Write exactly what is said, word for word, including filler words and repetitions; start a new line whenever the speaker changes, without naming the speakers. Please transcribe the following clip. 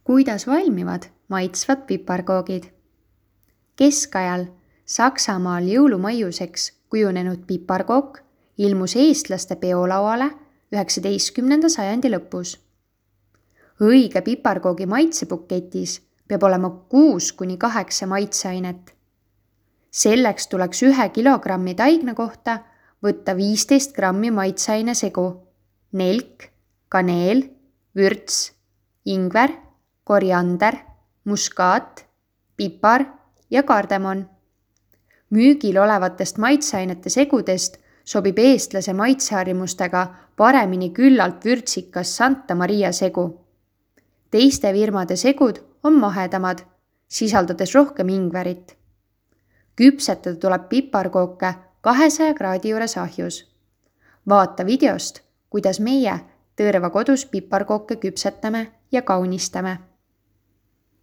Kuidas valmivad maitsvad piparkoogid? Keskajal Saksamaal jõulumaiuseks kujunenud piparkook ilmus eestlaste peolauale üheksateistkümnenda sajandi lõpus. Õige piparkoogi maitsebuketis peab olema kuus kuni kaheksa maitseainet. Selleks tuleks ühe kilogrammi taigna kohta võtta viisteist grammi maitseaine segu, nelk, kaneel, vürts, ingver, koriander, muskaat, pipar ja kardemon. Müügil olevatest maitseainete segudest sobib eestlase maitseharjumustega paremini küllalt vürtsikas Santa Maria segu. Teiste firmade segud on mahedamad, sisaldades rohkem ingverit. Küpsetada tuleb piparkooke kahesaja kraadi juures ahjus. Vaata videost, kuidas meie Tõrva kodus piparkooke küpsetame ja kaunistame.